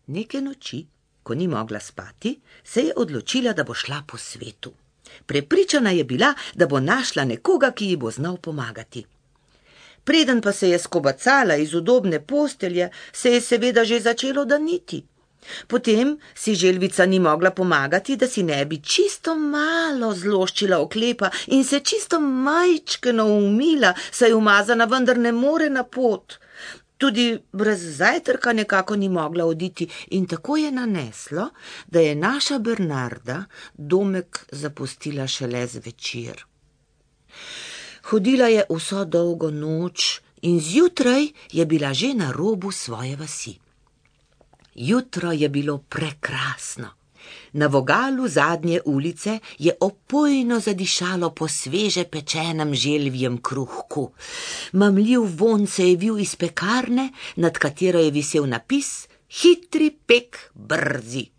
Neke noči, ko ni mogla spati, se je odločila, da bo šla po svetu. Prepričana je bila, da bo našla nekoga, ki ji bo znal pomagati. Preden pa se je skobacala iz udobne postelje, se je seveda že začelo daniti. Potem si želvica ni mogla pomagati, da si ne bi čisto malo zloščila oklepa in se čisto majčkeno umila, saj umazana vendar ne more na pot. Tudi brez zajtrka nekako ni mogla oditi in tako je naneslo, da je naša Bernarda domek zapustila šele zvečer. Hodila je vso dolgo noč in zjutraj je bila že na robu svoje vasi. Jutro je bilo prekrasno. Na vogalu zadnje ulice je opojno zadišalo po sveže pečenem želvjem kruhku. Mamljiv vonj se je vil iz pekarne, nad katero je visel napis: Hitri pek, brzi.